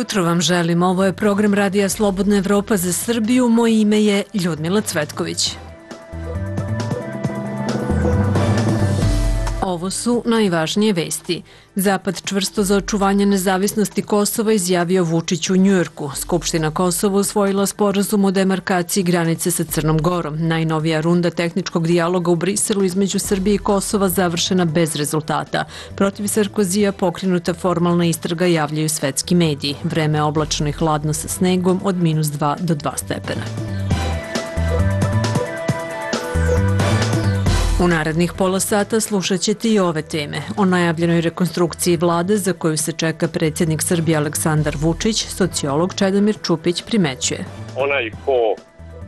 jutro vam želim. Ovo je program Radija Slobodna Evropa za Srbiju. Moje ime je Ljudmila Cvetković. Ovo su najvažnije vesti. Zapad čvrsto za očuvanje nezavisnosti Kosova izjavio Vučić u Njujorku. Skupština Kosova usvojila sporazum o demarkaciji granice sa Crnom Gorom. Najnovija runda tehničkog dijaloga u Briselu između Srbije i Kosova završena bez rezultata. Protiv Sarkozija pokrenuta formalna istraga, javljaju svetski mediji. Vreme je oblačno i hladno sa snegom od -2 do 2 stepena. U narednih pola sata slušat ćete i ove teme. O najavljenoj rekonstrukciji vlade za koju se čeka predsjednik Srbije Aleksandar Vučić, sociolog Čedomir Čupić primećuje. Onaj ko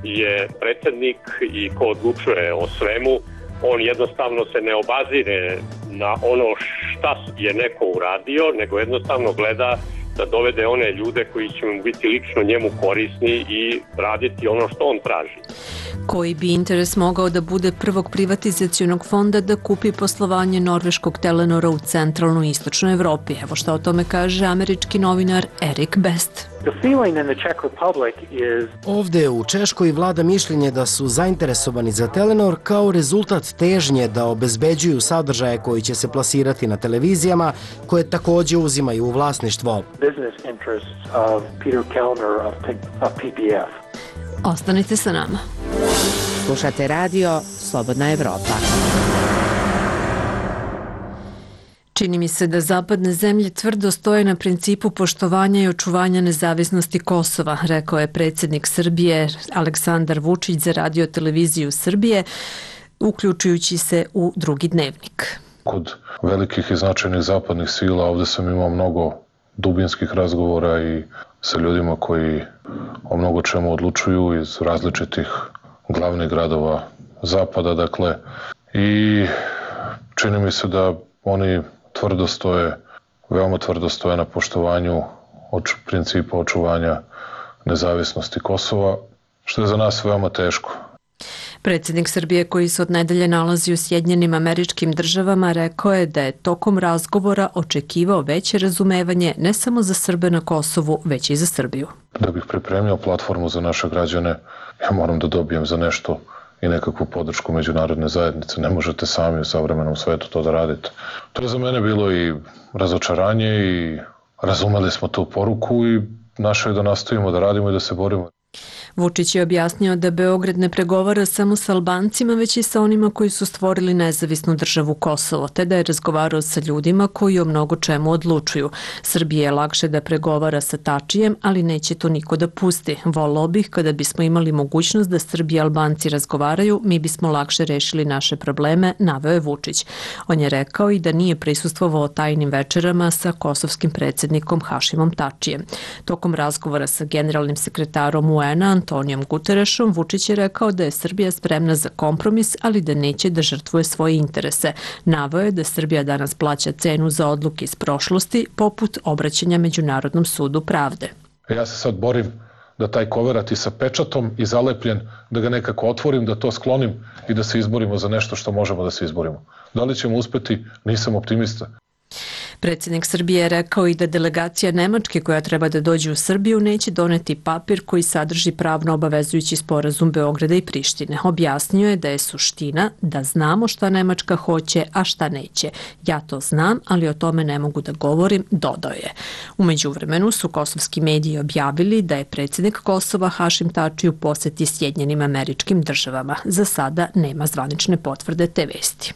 je predsjednik i ko odlučuje o svemu, on jednostavno se ne obazire na ono šta je neko uradio, nego jednostavno gleda da dovede one ljude koji će mu biti lično njemu korisni i raditi ono što on traži. Koji bi interes mogao da bude prvog privatizacionog fonda da kupi poslovanje norveškog Telenora u centralnoj i istočnoj Evropi? Evo šta o tome kaže američki novinar Erik Best. Ovde u Češkoj vlada mišljenje da su zainteresovani za Telenor kao rezultat težnje da obezbeđuju sadržaje koji će se plasirati na televizijama, koje takođe uzimaju u vlasništvo. Ostanite sa nama. Slušate radio Slobodna Evropa. Čini mi se da zapadne zemlje tvrdo stoje na principu poštovanja i očuvanja nezavisnosti Kosova, rekao je predsjednik Srbije Aleksandar Vučić za Radio televiziju Srbije, uključujući se u drugi dnevnik. Kod velikih i značajnih zapadnih sila ovde sam imao mnogo dubinskih razgovora i sa ljudima koji o mnogo čemu odlučuju iz različitih glavnih gradova zapada, dakle, i čini mi se da oni veoma tvrdo stoje na poštovanju principa očuvanja nezavisnosti Kosova, što je za nas veoma teško. Predsjednik Srbije, koji se od nedelje nalazi u Sjedinjenim Američkim Državama, rekao je da je tokom razgovora očekivao veće razumevanje ne samo za Srbe na Kosovu, već i za Srbiju. Da bih pripremio platformu za naše građane, ja moram da dobijem za nešto i nekakvu podršku međunarodne zajednice. Ne možete sami u savremenom svetu to da radite. To je za mene bilo i razočaranje i razumeli smo tu poruku i naše je da nastavimo da radimo i da se borimo. Vučić je objasnio da Beograd ne pregovara samo sa Albancima, već i sa onima koji su stvorili nezavisnu državu Kosovo, te da je razgovarao sa ljudima koji o mnogo čemu odlučuju. Srbije je lakše da pregovara sa Tačijem, ali neće to niko da pusti. Voleo bih kada bismo imali mogućnost da Srbi i Albanci razgovaraju, mi bismo lakše rešili naše probleme, naveo je Vučić. On je rekao i da nije prisustvovao tajnim večerama sa kosovskim predsjednikom Hašimom Tačijem. Tokom razgovora sa generalnim sekretarom UN-a Antonijom Guterešom, Vučić je rekao da je Srbija spremna za kompromis, ali da neće da žrtvuje svoje interese. Naveo je da Srbija danas plaća cenu za odluke iz prošlosti, poput obraćanja Međunarodnom sudu pravde. Ja se sad borim da taj koverat i sa pečatom i zalepljen, da ga nekako otvorim, da to sklonim i da se izborimo za nešto što možemo da se izborimo. Da li ćemo uspeti? Nisam optimista. Predsjednik Srbije je rekao i da delegacija Nemačke koja treba da dođe u Srbiju neće doneti papir koji sadrži pravno obavezujući sporazum Beograda i Prištine. Objasnio je da je suština da znamo šta Nemačka hoće, a šta neće. Ja to znam, ali o tome ne mogu da govorim, dodao je. U međuvremenu su kosovski mediji objavili da je predsjednik Kosova Hašim Tači u poseti Sjedinjenim Američkim Državama. Za sada nema zvanične potvrde te vesti.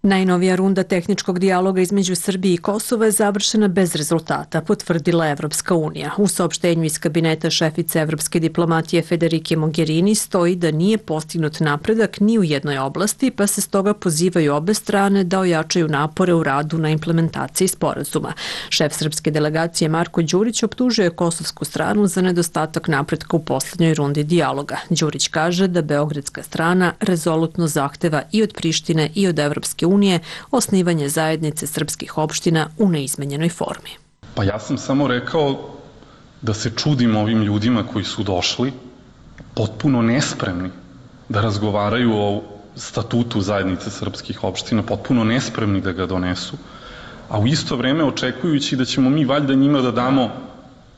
Najnovija runda tehničkog dijaloga između Srbije i Kosova je završena bez rezultata, potvrdila Evropska unija. U saopštenju iz kabineta šefice evropske diplomatije Federike Mogherini stoji da nije postignut napredak ni u jednoj oblasti, pa se stoga pozivaju obe strane da ojačaju napore u radu na implementaciji sporazuma. Šef srpske delegacije Marko Đurić optužuje kosovsku stranu za nedostatak napretka u poslednjoj rundi dijaloga. Đurić kaže da beogradska strana rezolutno zahteva i od Prištine i od Evropske unije osnivanje zajednice srpskih opština u neizmenjenoj formi. Pa ja sam samo rekao da se čudim ovim ljudima koji su došli potpuno nespremni da razgovaraju o statutu zajednice srpskih opština, potpuno nespremni da ga donesu, a u isto vreme očekujući da ćemo mi valjda njima da damo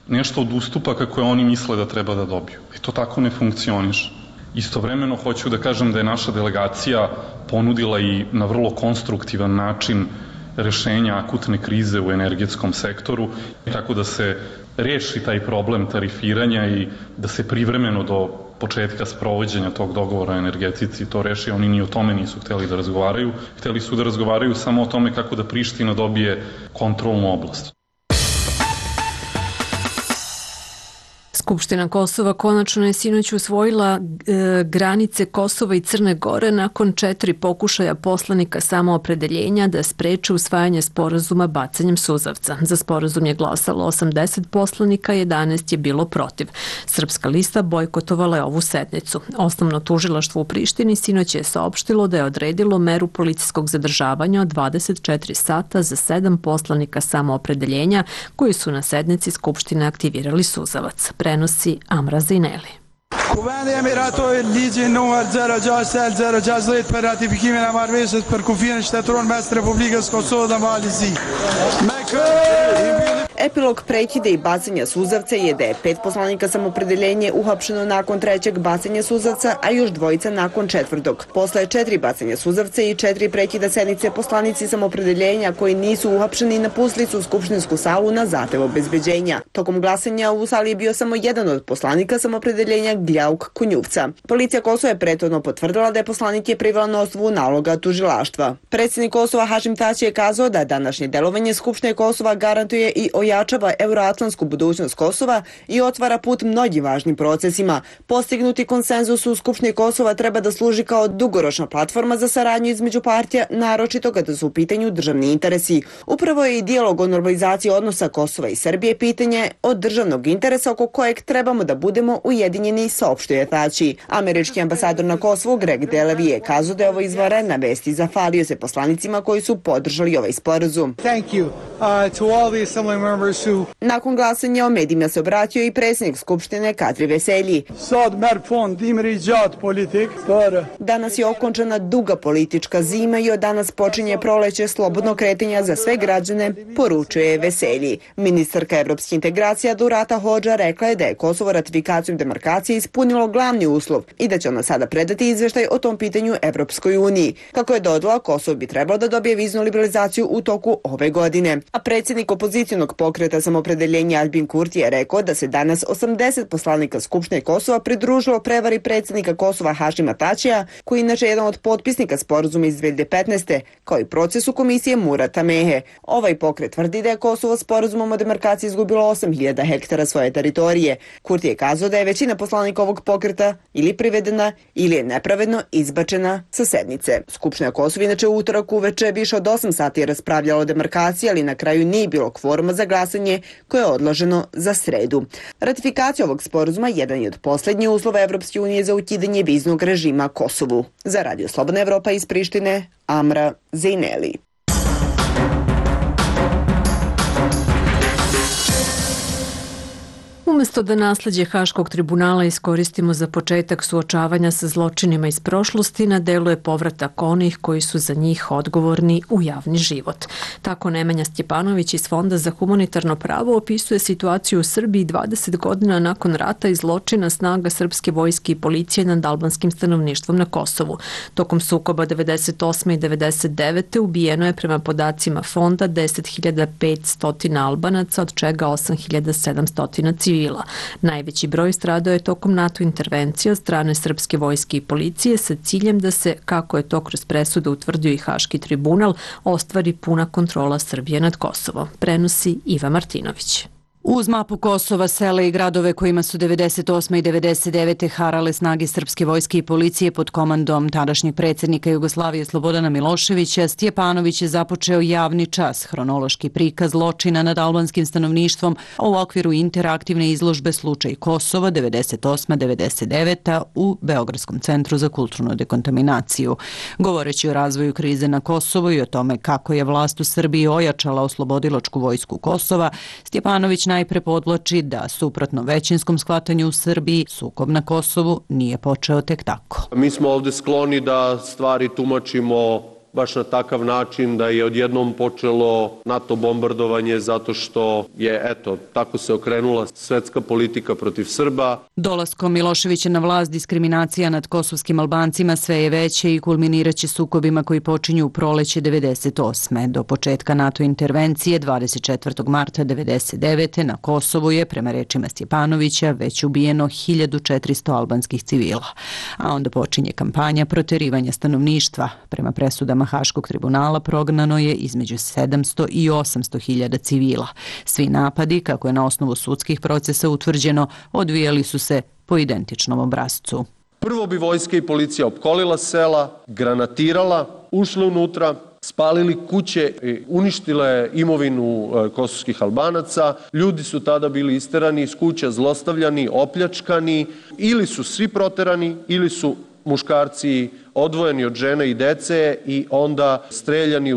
nešto od ustupaka koje oni misle da treba da dobiju. I to tako ne funkcioniše. Istovremeno hoću da kažem da je naša delegacija ponudila i na vrlo konstruktivan način rešenja akutne krize u energetskom sektoru, tako da se reši taj problem tarifiranja i da se privremeno do početka sprovođenja tog dogovora o energetici to reši. Oni ni o tome nisu hteli da razgovaraju. Hteli su da razgovaraju samo o tome kako da Priština dobije kontrolnu oblast. Skupština Kosova konačno je sinoć usvojila granice Kosova i Crne Gore nakon 4 pokušaja poslanika samoopredeljenja da spreče usvajanje sporazuma bacanjem suzavca. Za sporazum je glasalo 80 poslanika, 11 je bilo protiv. Srpska lista bojkotovala je ovu sednicu. Osnovno tužilaštvo u Prištini sinoć je saopštilo da je odredilo meru policijskog zadržavanja od 24 sata za 7 poslanika samoopredeljenja koji su na sednici Skupštine aktivirali suzavac. Prenosi Amra Zineli. Kuvendi Emiratoj ligjin numër 06/060 për ratifikimin e marrëveshjes për kufirin shtetëror mes Republikës Kosovë dhe Malizisë. Epilog prekida i bacanja suzavca je da je 5 poslanika samopredeljenje uhapšeno nakon 3. bacanja suzavca, a još 2 nakon 4. Posle 4 bacanja suzavca i 4 prekida sednice, poslanici samopredeljenja koji nisu uhapšeni napustili su skupštinsku salu na zahtev obezbeđenja. Tokom glasanja u sali je bio samo jedan od poslanika samopredeljenja, Gljauk Kunjuvca. Policija Kosova je prethodno potvrdila da je poslanik je privela na osnovu naloga tužilaštva. Predsjednik Kosova Hašim Tači je kazao da današnje delovanje Skupštine Kosova garantuje i ojačava euroatlantsku budućnost Kosova i otvara put mnogim važnim procesima. Postignuti konsenzus u Skupštini Kosova treba da služi kao dugoročna platforma za saradnju između partija, naročito kada su u pitanju državni interesi. Upravo je i dijalog o normalizaciji odnosa Kosova i Srbije pitanje od državnog interesa oko kojeg trebamo da budemo ujedinjeni, saopštuje Tači. Američki ambasador na Kosovu Greg Delevi je kazao da je ovo izvanredna vest i zahvalio se poslanicima koji su podržali ovaj sporazum. Nakon glasanja o medijima se obratio i predsjednik Skupštine Kadri Veselji. Danas je okončana duga politička zima i od danas počinje proleće slobodno kretanja za sve građane, poručuje Veselji. Ministarka evropskih integracija Durata Hodža rekla je da je Kosovo ratifikacijom demarkacije ispunilo glavni uslov i da će ona sada predati izveštaj o tom pitanju Evropskoj uniji. Kako je dodala, Kosovo bi trebalo da dobije viznu liberalizaciju u toku ove godine. A predsjednik opozicionog pokreta samopredeljenja Albin Kurti je rekao da se danas 80 poslanika Skupštine Kosova pridružilo prevari predsjednika Kosova Hašima Tačija, koji je inače jedan od potpisnika sporazuma iz 2015. kao i procesu komisije Murata Mehe. Ovaj pokret tvrdi da je Kosovo sporazumom o demarkaciji izgubilo 8.000 hektara svoje teritorije. Kurti je kazao da je većina poslanika ovog pokreta ili privedena ili je nepravedno izbačena sa sednice. Skupština Kosova inače u utorak uveče više od 8 sati raspravljala o demarkaciji, ali na kraju nije bilo kvoruma za glasanje koje je odloženo za sredu. Ratifikacija ovog sporazuma jedan je od posljednjih uslova Evropske unije za ukidanje viznog režima Kosovu. Za Radio Slobodna Evropa iz Prištine, Amra Zineli. Umesto da nasleđe Haškog tribunala iskoristimo za početak suočavanja sa zločinima iz prošlosti, na delu je povratak onih koji su za njih odgovorni u javni život. Tako Nemanja Stjepanović iz Fonda za humanitarno pravo opisuje situaciju u Srbiji 20 godina nakon rata i zločina snaga srpske vojske i policije nad albanskim stanovništvom na Kosovu. Tokom sukoba 98. i 99. ubijeno je prema podacima Fonda 10.500 Albanaca, od čega 8.700 civila. Najveći broj stradao je tokom NATO intervencije od strane srpske vojske i policije sa ciljem da se, kako je to kroz presudu utvrdio i Haški tribunal, ostvari puna kontrola Srbije nad Kosovom. Prenosi Iva Martinović. Uz mapu Kosova, sela i gradove kojima su 98. i 99. harale snage srpske vojske i policije pod komandom tadašnjeg predsjednika Jugoslavije Slobodana Miloševića, Stjepanović je započeo javni čas, hronološki prikaz zločina nad albanskim stanovništvom u okviru interaktivne izložbe Slučaj Kosova 98-99. u Beogradskom centru za kulturnu dekontaminaciju. Govoreći o razvoju krize na Kosovu i o tome kako je vlast u Srbiji ojačala oslobodilačku vojsku Kosova, Stjepanović najpre podvlači da, suprotno većinskom shvatanju u Srbiji, sukob na Kosovu nije počeo tek tako. Mi smo ovde skloni da stvari tumačimo baš na takav način da je odjednom počelo NATO bombardovanje zato što je, eto, tako se okrenula svetska politika protiv Srba. Dolaskom Miloševića na vlast diskriminacija nad kosovskim Albancima sve je veće i kulminiraće sukobima koji počinju u proleće 98. Do početka NATO intervencije 24. marta 99. na Kosovu je, prema rečima Stjepanovića, već ubijeno 1400 albanskih civila. A onda počinje kampanja proterivanja stanovništva. Prema presudama Haškog tribunala prognano je između 700 i 800 hiljada civila. Svi napadi, kako je na osnovu sudskih procesa utvrđeno, odvijali su se po identičnom obrascu. Prvo bi vojska i policija opkolila sela, granatirala, ušla unutra, spalili kuće i uništile imovinu kosovskih Albanaca. Ljudi su tada bili isterani iz kuća, zlostavljani, opljačkani, ili su svi proterani, ili su muškarci odvojeni od žene i dece i onda streljani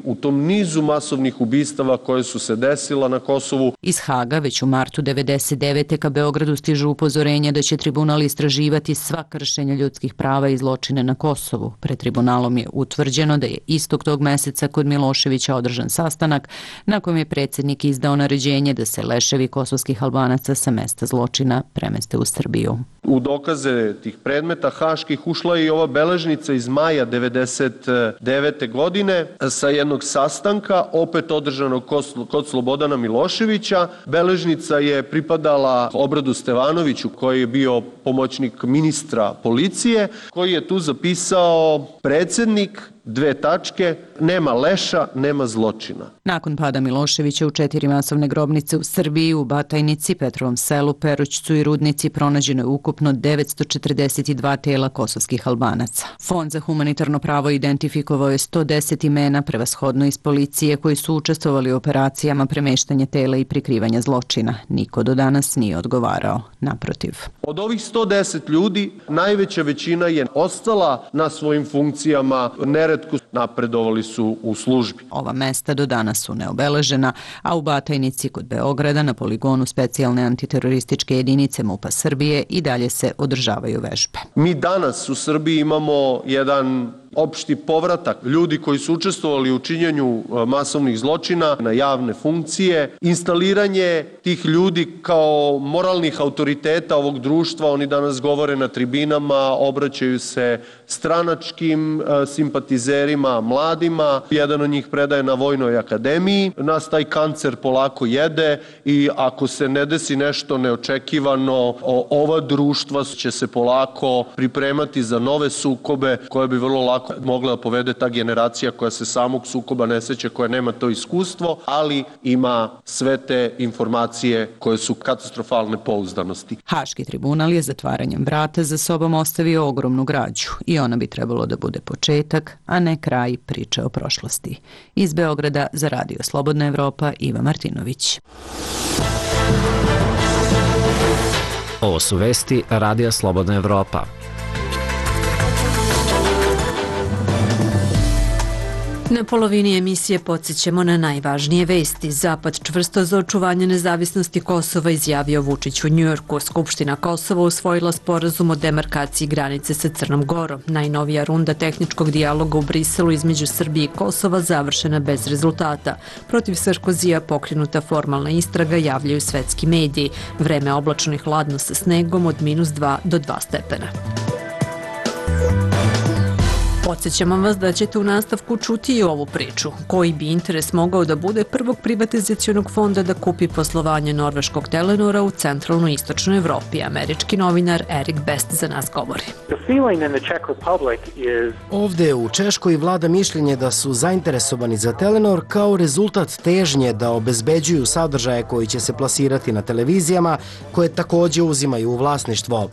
u tom nizu masovnih ubistava koje su se desila na Kosovu. Iz Haga već u martu 99. ka Beogradu stižu upozorenja da će tribunal istraživati sva kršenja ljudskih prava i zločine na Kosovu. Pred tribunalom je utvrđeno da je istog tog meseca kod Miloševića održan sastanak na kojem je predsjednik izdao naređenje da se leševi kosovskih Albanaca sa mesta zločina premeste u Srbiju. U dokaze tih predmeta haških ušla je i ova beležnica iz maja 99. godine sa jednog sastanka, opet održanog kod Slobodana Miloševića. Beležnica je pripadala Obradu Stevanoviću, koji je bio pomoćnik ministra policije, koji je tu zapisao: predsjednik, nema leša, nema zločina. Nakon pada Miloševića u 4 masovne grobnice u Srbiji, u Batajnici, Petrovom selu, Perućcu i Rudnici pronađeno je ukupno 942 tela kosovskih Albanaca. Fond za humanitarno pravo identifikovao je 110 imena, prevashodno iz policije, koji su učestvovali u operacijama premeštanja tela i prikrivanja zločina. Niko do danas nije odgovarao. Naprotiv. Od ovih 110 ljudi, najveća većina je ostala na svojim funkcijama, neretko napredovali su u službi. Ova mesta do danas su neobeležena, a u Batajnici kod Beograda na poligonu specijalne antiterorističke jedinice MUP-a Srbije i dalje se održavaju vežbe. Mi danas u Srbiji imamo jedan opšti povratak ljudi koji su učestvovali u činjenju masovnih zločina na javne funkcije, instaliranje tih ljudi kao moralnih autoriteta ovog društva. Oni danas govore na tribinama, obraćaju se stranačkim simpatizerima, mladima. Jedan od njih predaje na Vojnoj akademiji. Nas taj kancer polako jede i ako se ne desi nešto neočekivano, ova društva će se polako pripremati za nove sukobe koje bi vrlo lako mogla da povede ta generacija koja se samog sukoba ne seća, koja nema to iskustvo, ali ima sve te informacije koje su katastrofalne pouzdanosti. Haški tribunal je zatvaranjem vrata za sobom ostavio ogromnu građu i ona bi trebalo da bude početak, a ne kraj priče o prošlosti. Iz Beograda za Radio Slobodna Evropa, Iva Martinović. Ovo su vesti Radija Slobodna Evropa. Na polovini emisije podsjećamo na najvažnije vesti. Zapad čvrsto za očuvanje nezavisnosti Kosova, izjavio Vučić u Njujorku. Skupština Kosova usvojila sporazum o demarkaciji granice sa Crnom Gorom. Najnovija runda tehničkog dijaloga u Briselu između Srbije i Kosova završena bez rezultata. Protiv Sarkozija pokrenuta formalna istraga, javljaju svetski mediji. Vreme oblačno i hladno sa snegom od -2 do 2 stepena. Podsjećamo vas da ćete u nastavku čuti i ovu priču. Koji bi interes mogao da bude prvog privatizacionog fonda da kupi poslovanje norveškog Telenora u centralnoj i istočnoj Evropi? Američki novinar Erik Best za nas govori. Ovde u Češkoj vlada mišljenje da su zainteresovani za Telenor kao rezultat težnje da obezbeđuju sadržaje koji će se plasirati na televizijama, koje takođe uzimaju u vlasništvo.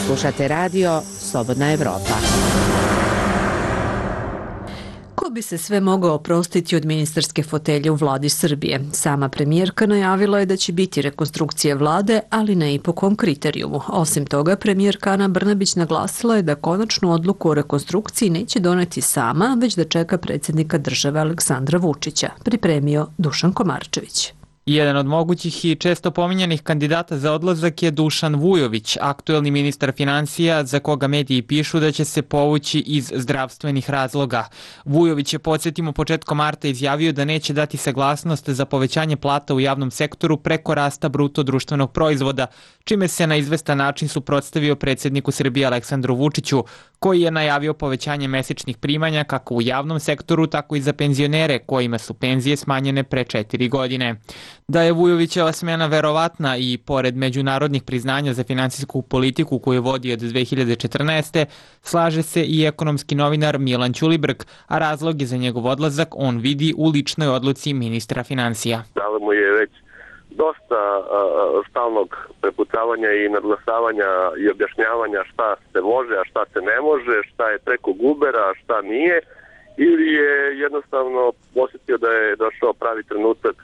Slušate radio Slobodna Evropa. Ko bi se sve mogao oprostiti od ministarske fotelje u vladi Srbije? Sama premijerka najavila je da će biti rekonstrukcije vlade, ali ne i po kom kriterijumu. Osim toga, premijerka Ana Brnabić naglasila je da konačnu odluku o rekonstrukciji neće doneti sama, već da čeka predsjednika države Aleksandra Vučića, pripremio Dušan Komarčević. Jedan od mogućih i često pominjanih kandidata za odlazak je Dušan Vujović, aktuelni ministar finansija za koga mediji pišu da će se povući iz zdravstvenih razloga. Vujović je, podsjetimo, početkom marta izjavio da neće dati saglasnost za povećanje plata u javnom sektoru preko rasta bruto društvenog proizvoda, čime se na izvestan način suprotstavio predsjedniku Srbije Aleksandru Vučiću, koji je najavio povećanje mesečnih primanja kako u javnom sektoru, tako i za penzionere kojima su penzije smanjene pre 4 godine. Da je Vujovićeva smena verovatna i pored međunarodnih priznanja za finansijsku politiku koju vodi od 2014. slaže se i ekonomski novinar Milan Ćulibrk, a razloge za njegov odlazak on vidi u ličnoj odluci ministra finansija. Da mu je već dosta stalnog prepucavanja i nadglasavanja i objašnjavanja šta se može, a šta se ne može, šta je preko gubera, a šta nije, ili je jednostavno osjetio da je došao pravi trenutak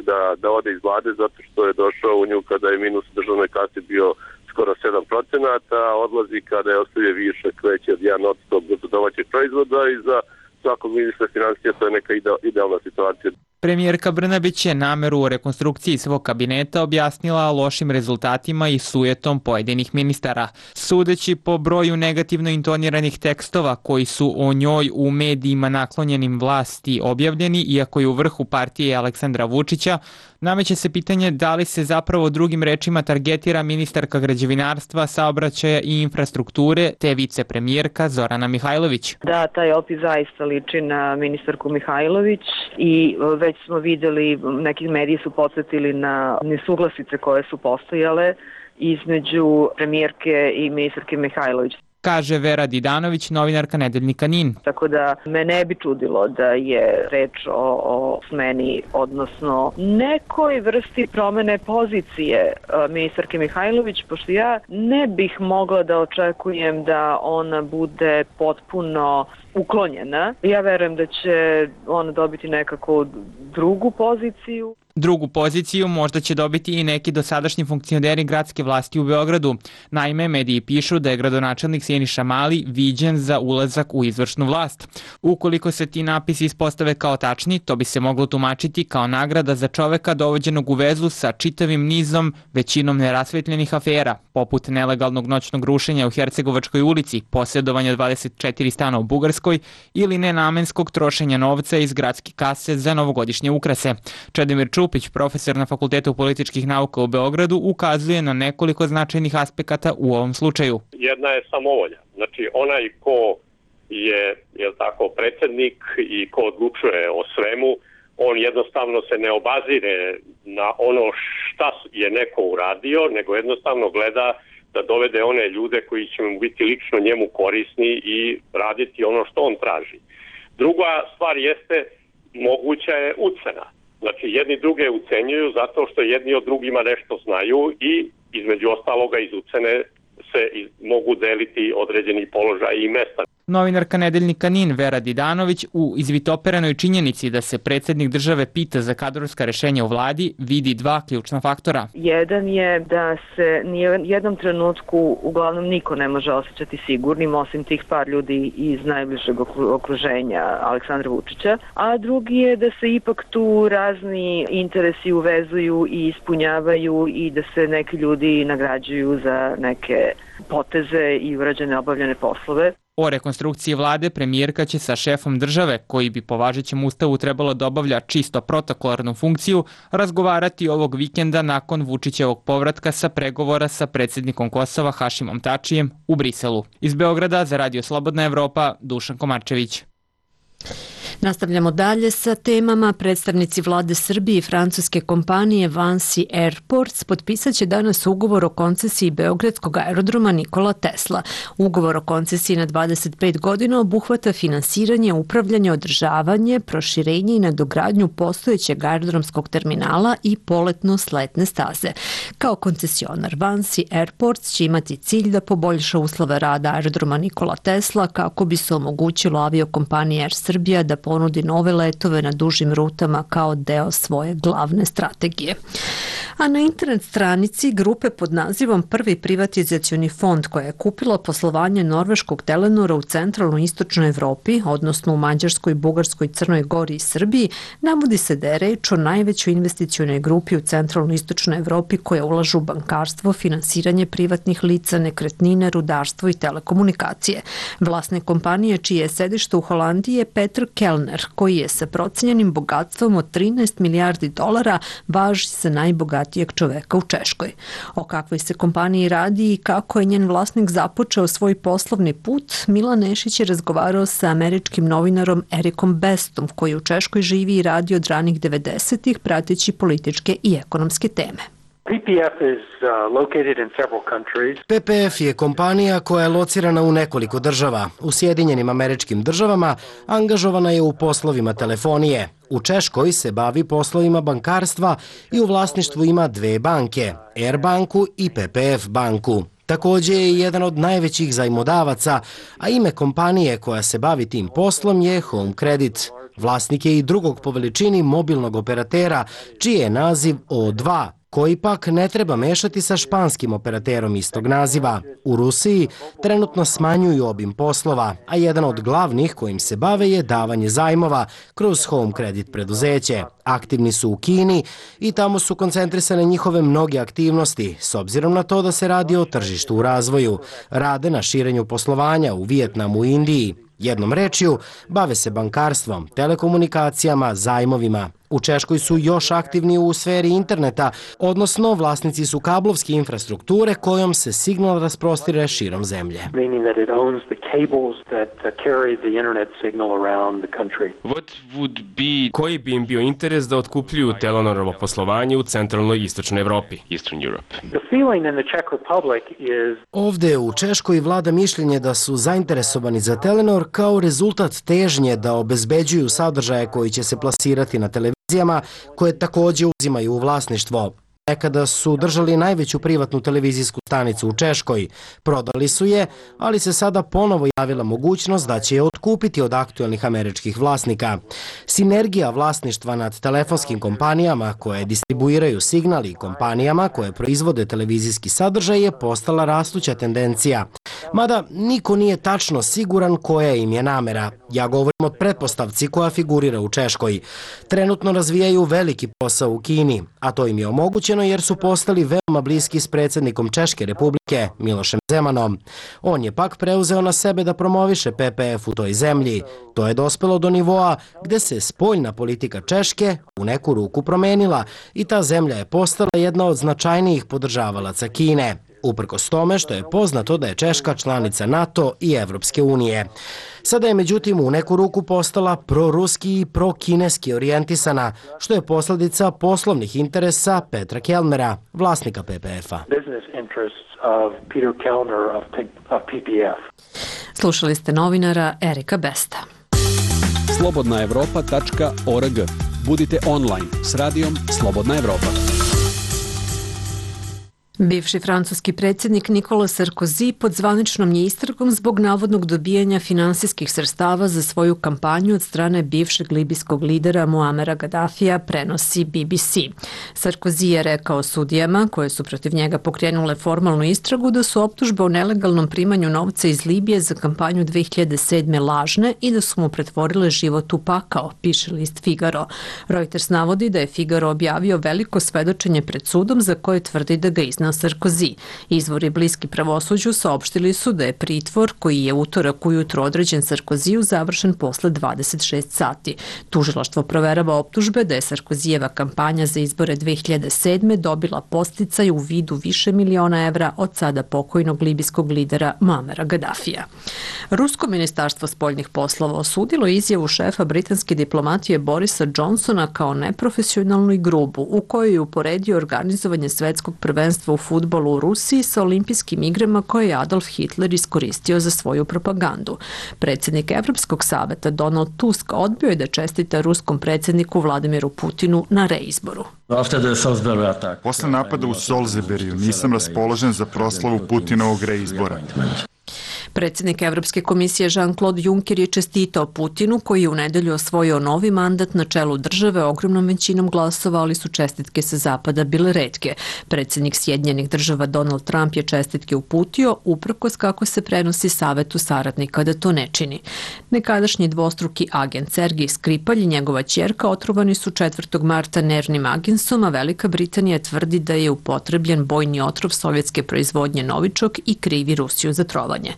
da ode iz vlade zato što je došao u nju kada je minus u državnoj kasi bio skoro 7%, a odlazi kada je ostavio višak veći od 1% bruto domaćeg proizvoda i za svakog ministra finansija to je neka idealna situacija. Premijerka Brnabić je nameru o rekonstrukciji svog kabineta objasnila lošim rezultatima i sujetom pojedinih ministara. Sudeći po broju negativno intoniranih tekstova koji su o njoj u medijima naklonjenim vlasti objavljeni, iako je u vrhu partije Aleksandra Vučića, nameće se pitanje da li se zapravo drugim rečima targetira ministarka građevinarstva, saobraćaja i infrastrukture te vicepremijerka Zorana Mihajlović. Da, taj opis zaista liči na ministarku Mihajlović i već smo videli, neki mediji su podsjetili na nesuglasice koje su postojale između premijerke i ministarke Mihajlović. Kaže Vera Didanović, novinarka nedeljnika NIN. Tako da me ne bi čudilo da je reč o smeni, odnosno nekoj vrsti promene pozicije ministarke Mihajlović, pošto ja ne bih mogla da očekujem da ona bude potpuno uklonjena. Ja verujem da će ona dobiti nekako drugu poziciju. Drugu poziciju možda će dobiti i neki dosadašnji funkcioneri gradske vlasti u Beogradu. Naime, mediji pišu da je gradonačelnik Siniša Mali viđen za ulazak u izvršnu vlast. Ukoliko se ti napisi ispostave kao tačni, to bi se moglo tumačiti kao nagrada za čoveka dovođenog u vezu sa čitavim nizom, većinom nerasvetljenih afera, poput nelegalnog noćnog rušenja u Hercegovačkoj ulici, posjedovanja 24 stana u Bugarskoj ili nenamenskog trošenja novca iz gradske kase za novogodišnje ukrase. Čedomir Čupić, profesor na Fakultetu političkih nauka u Beogradu, ukazuje na nekoliko značajnih aspekata u ovom slučaju. Jedna je samovolja. Znači, onaj ko je tako, predsjednik i ko odlučuje o svemu, on jednostavno se ne obazire na ono šta je neko uradio, nego jednostavno gleda da dovede one ljude koji će mu biti lično njemu korisni i raditi ono što on traži. Druga stvar jeste, moguća je ucena. Znači, jedni druge ucenjuju zato što jedni od drugima nešto znaju i između ostaloga iz ucene se mogu deliti određeni položaj i mesta. Novinarka nedeljnika NIN Vera Didanović u izvitoperanoj činjenici da se predsjednik države pita za kadrovska rešenja u vladi vidi dva ključna faktora. Jedan je da se ni u jednom trenutku uglavnom niko ne može osjećati sigurnim osim tih par ljudi iz najbližeg okruženja Aleksandra Vučića, a drugi je da se ipak tu razni interesi uvezuju i ispunjavaju i da se neki ljudi nagrađuju za neke poteze i urađene obavljene poslove. O rekonstrukciji vlade premijerka će sa šefom države, koji bi po važećem ustavu trebalo da obavlja čisto protokolarnu funkciju, razgovarati ovog vikenda nakon Vučićevog povratka sa pregovora sa predsjednikom Kosova Hašimom Tačijem u Briselu. Iz Beograda za Radio Slobodna Evropa, Dušan Komarčević. Nastavljamo dalje sa temama. Predstavnici vlade Srbije i francuske kompanije Vinci Airports potpisat će danas ugovor o koncesiji beogradskog aerodroma Nikola Tesla. Ugovor o koncesiji na 25 godina obuhvata finansiranje, upravljanje, održavanje, proširenje i nadogradnju postojećeg aerodromskog terminala i poletno-sletne staze. Kao koncesionar Vinci Airports će imati cilj da poboljša uslove rada aerodroma Nikola Tesla kako bi se omogućilo aviokompaniji Air Srbija da ponudi nove letove na dužim rutama kao deo svoje glavne strategije. A na internet stranici grupe pod nazivom Prvi privatizacioni fond, koja je kupila poslovanje norveškog Telenora u centralnoj i istočnoj Evropi, odnosno u Mađarskoj, Bugarskoj, Crnoj Gori i Srbiji, navodi se da je reč o najvećoj investicionoj grupi u centralnoj i istočnoj Evropi koja ulažu u bankarstvo, finansiranje privatnih lica, nekretnine, rudarstvo i telekomunikacije. Vlasnik kompanije, čije je sedište u Holandiji, je Peter Kellner, koji je sa procenjenim bogatstvom od 13 milijardi dolara važi za najbogatijeg čoveka u Češkoj. O kakvoj se kompaniji radi i kako je njen vlasnik započeo svoj poslovni put, Milan Nešić je razgovarao sa američkim novinarom Erikom Bestom, koji u Češkoj živi i radi od ranih 90-ih, prateći političke i ekonomske teme. PPF je kompanija koja je locirana u nekoliko država. U Sjedinjenim Američkim Državama angažovana je u poslovima telefonije. U Češkoj se bavi poslovima bankarstva i u vlasništvu ima dve banke, Air banku i PPF banku. Takođe je jedan od najvećih zajmodavaca, a ime kompanije koja se bavi tim poslom je Home Credit. Vlasnik je i drugog po veličini mobilnog operatera, čiji je naziv O2, koji pak ne treba mešati sa španskim operaterom istog naziva. U Rusiji trenutno smanjuju obim poslova, a jedan od glavnih kojim se bave je davanje zajmova kroz Home Credit preduzeće. Aktivni su u Kini i tamo su koncentrisane njihove mnoge aktivnosti, s obzirom na to da se radi o tržištu u razvoju. Rade na širenju poslovanja u Vijetnamu i Indiji. Jednom rečju, bave se bankarstvom, telekomunikacijama, zajmovima. U Češkoj su još aktivni u sferi interneta, odnosno vlasnici su kablovske infrastrukture kojom se signal rasprostire širom zemlje. Koji bi im bio interes da otkupljuju Telenorovo poslovanje u centralnoj i istočnoj Evropi? Ovde u Češkoj vlada mišljenje da su zainteresovani za Telenor kao rezultat težnje da obezbeđuju sadržaje koji će se plasirati na televizijama, koje takođe uzimaju u vlasništvo. Nekada su držali najveću privatnu televizijsku stanicu u Češkoj. Prodali su je, ali se sada ponovo javila mogućnost da će je otkupiti od aktuelnih američkih vlasnika. Sinergija vlasništva nad telefonskim kompanijama koje distribuiraju signal i kompanijama koje proizvode televizijski sadržaj je postala rastuća tendencija. Mada niko nije tačno siguran koja im je namera. Ja govorim o pretpostavci koja figurira u Češkoj. Trenutno razvijaju veliki posao u Kini, a to im je omogućeno jer su postali veoma bliski s predsjednikom Češke republike, Milošem Zemanom. On je pak preuzeo na sebe da promoviše PPF u toj zemlji. To je dospelo do nivoa gde se spoljna politika Češke u neku ruku promenila i ta zemlja je postala jedna od značajnijih podržavalaca Kine. Uprkos tome što je poznato da je Češka članica NATO i Evropske unije. Sada je međutim u neku ruku postala proruski i prokineski orijentisana, što je posledica poslovnih interesa Petra Kellnera, vlasnika PPF-a. Slušali ste novinara Erika Besta. Slobodnaevropa.org. Budite online s radijom Slobodna Evropa. Bivši francuski predsjednik Nicolas Sarkozy pod zvaničnom je istragom zbog navodnog dobijanja finansijskih sredstava za svoju kampanju od strane bivšeg libijskog lidera Muamera Gaddafija, prenosi BBC. Sarkozy je rekao sudijama, koje su protiv njega pokrenule formalnu istragu, da su optužbe o nelegalnom primanju novca iz Libije za kampanju 2007. lažne i da su mu pretvorile život u pakao, piše list Figaro. Reuters navodi da je Figaro objavio veliko svedočenje pred sudom za koje tvrdi da ga iznao Sarkozy. Izvori bliski pravosuđu saopštili su da je pritvor koji je utorak ujutro određen Sarkozyju završen posle 26 sati. Tužilaštvo proverava optužbe da je Sarkozyjeva kampanja za izbore 2007. dobila podsticaj u vidu više miliona evra od sada pokojnog libijskog lidera Muamera Gaddafija. Rusko ministarstvo spoljnih poslova osudilo izjavu šefa britanske diplomatije Borisa Johnsona kao neprofesionalnu i grubu, u kojoj je uporedio organizovanje svetskog prvenstva u fudbalu u Rusiji sa olimpijskim igrama koje je Adolf Hitler iskoristio za svoju propagandu. Predsjednik Evropskog saveta Donald Tusk odbio je da čestita ruskom predsjedniku Vladimiru Putinu na reizboru. Posle napada u Solzeberiju nisam raspoložen za proslavu Putinovog reizbora. Predsjednik Evropske komisije Jean-Claude Juncker je čestitao Putinu, koji je u nedelju osvojio novi mandat na čelu države ogromnom većinom glasova, ali su čestitke sa zapada bile retke. Predsjednik Sjedinjenih država Donald Trump je čestitke uputio, uprkos kako se prenosi savetu saradnika da to ne čini. Nekadašnji dvostruki agent Sergij Skripalj i njegova ćerka otrovani su 4. marta nervnim agensom, a Velika Britanija tvrdi da je upotrebljen bojni otrov sovjetske proizvodnje Novičok i krivi Rusiju za trovanje.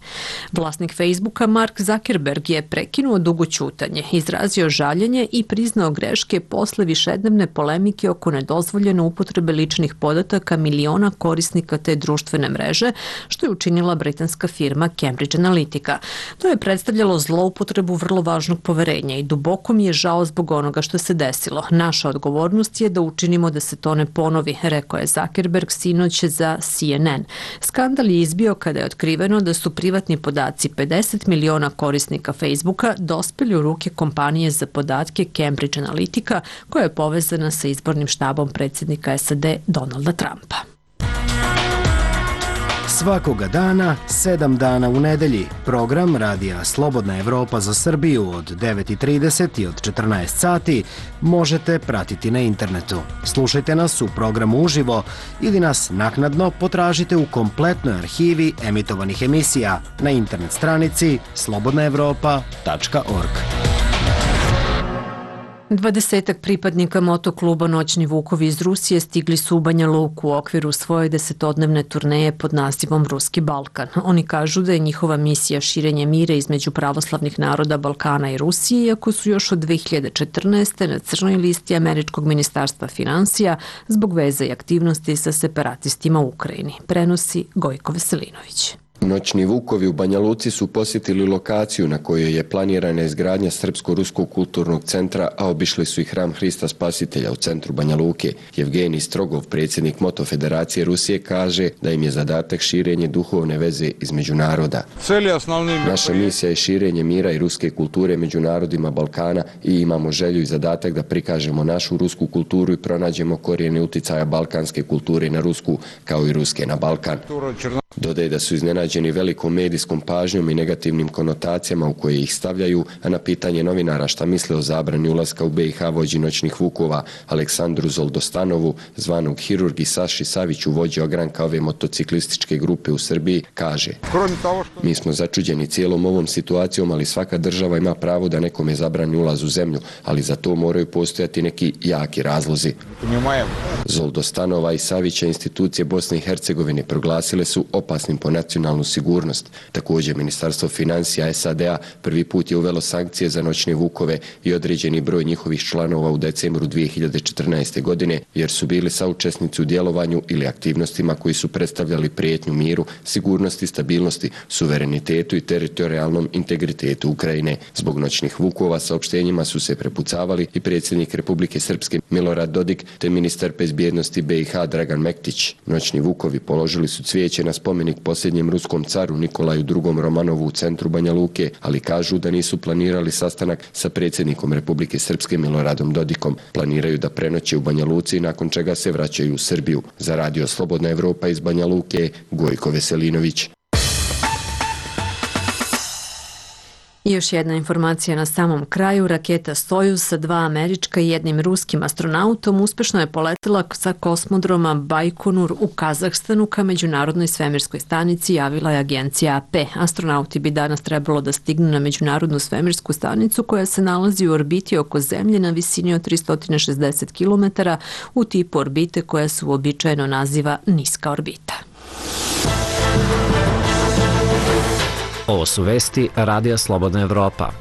Vlasnik Facebooka Mark Zuckerberg je prekinuo dugo ćutanje, izrazio žaljenje i priznao greške posle višednevne polemike oko nedozvoljene upotrebe ličnih podataka miliona korisnika te društvene mreže, što je učinila britanska firma Cambridge Analytica. To je predstavljalo zloupotrebu vrlo važnog poverenja i duboko mi je žao zbog onoga što se desilo. Naša odgovornost je da učinimo da se to ne ponovi, rekao je Zuckerberg sinoć za CNN. Skandal je izbio kada je otkriveno da su privatni podaci 50 miliona korisnika Facebooka dospeli u ruke kompanije za podatke Cambridge Analytica, koja je povezana sa izbornim štabom predsjednika SAD Donalda Trumpa. Svakoga dana, 7 dana u nedelji, program Radija Slobodna Evropa za Srbiju od 9:30 i od 14 sati možete pratiti na internetu. Slušajte nas u programu uživo ili nas naknadno potražite u kompletnoj arhivi emitovanih emisija na internet stranici slobodnaevropa.org. 20 pripadnika motokluba Noćni vukovi iz Rusije stigli su u Banja Luku u okviru svoje 10-dnevne turneje pod nazivom Ruski Balkan. Oni kažu da je njihova misija širenje mira između pravoslavnih naroda Balkana i Rusije, iako su još od 2014. na crnoj listi Američkog ministarstva finansija zbog veza i aktivnosti sa separatistima u Ukrajini. Prenosi Gojko Veselinović. Noćni vukovi u Banja Luci su posjetili lokaciju na kojoj je planirana izgradnja Srpsko-ruskog kulturnog centra, a obišli su i hram Hrista Spasitelja u centru Banja Luke. Evgenij Strogov, predsjednik Moto Federacije Rusije, kaže da im je zadatak širenje duhovne veze između naroda. Naša misija je širenje mira i ruske kulture među narodima Balkana i imamo želju i zadatak da prikažemo našu rusku kulturu i pronađemo korijene uticaja balkanske kulture na rusku, kao i ruske na Balkan. Dodaje da su iznenađeni velikom medijskom pažnjom i negativnim konotacijama u koje ih stavljaju, a na pitanje novinara šta misle o zabrani ulaska u BiH vođi Noćnih vukova Aleksandru Zoldostanovu, zvanog Hirurg, i Saši Saviću, vođi ogranka ove motociklističke grupe u Srbiji, kaže: Mi smo začuđeni cijelom ovom situacijom, ali svaka država ima pravo da nekome zabrani ulaz u zemlju, ali za to moraju postojati neki jaki razlozi. Zoldostanova i Savića institucije Bosne i Hercegovine proglasile su opasnim po nacionalnu sigurnost. Također, Ministarstvo financija SAD-a prvi put je uvelo sankcije za Noćne vukove i određeni broj njihovih članova u decembru 2014. godine, jer su bili saučesnici u djelovanju ili aktivnostima koji su predstavljali prijetnju miru, sigurnosti, stabilnosti, suverenitetu i teritorijalnom integritetu Ukrajine. Zbog Noćnih vukova saopštenjima su se prepucavali i predsjednik Republike Srpske Milorad Dodik te ministar bezbjednosti BiH Dragan Mektić. Noćni vukovi položili su cvijeće na spomenik posljednjem ruskom caru Nikolaju II. Romanovu u centru Banja Luke, ali kažu da nisu planirali sastanak sa predsjednikom Republike Srpske Miloradom Dodikom. Planiraju da prenoće u Banja Luci, nakon čega se vraćaju u Srbiju. Za Radio Slobodna Evropa iz Banja Luke, Gojko Veselinović. I još jedna informacija na samom kraju. Raketa Sojuz sa 2 američka i 1 ruskim astronautom uspešno je poletila sa kosmodroma Bajkonur u Kazahstanu ka Međunarodnoj svemirskoj stanici, javila je agencija AP. Astronauti bi danas trebalo da stignu na Međunarodnu svemirsku stanicu koja se nalazi u orbiti oko Zemlje na visini od 360 km u tipu orbite koja se uobičajeno naziva niska orbita. Ovo su vesti Radija Slobodna Evropa.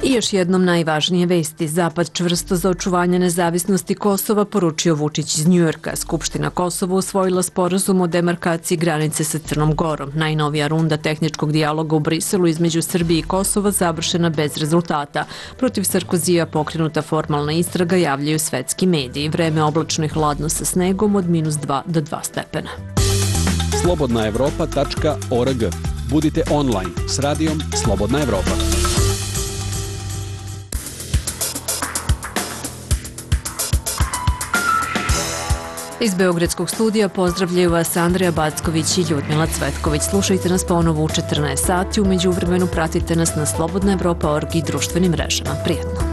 I još jednom najvažnije vesti. Zapad čvrsto za očuvanje nezavisnosti Kosova, poručio Vučić iz Njujorka. Skupština Kosova usvojila sporazum o demarkaciji granice sa Crnom Gorom. Najnovija runda tehničkog dijaloga u Briselu između Srbije i Kosova završena bez rezultata. Protiv Sarkozija pokrenuta formalna istraga, javljaju svetski mediji. Vreme oblačno i hladno sa snegom od -2 do 2 stepena. slobodnaevropa.org. Budite online s radijom Slobodna Evropa. Iz Beogradskog studija pozdravljaju vas Andreja Backović i Ljudmila Cvetković. Slušajte nas ponovo u 14 sati, umeđu vremenu pratite nas na slobodnaevropa.org i društvenim mrežama. Prijetno!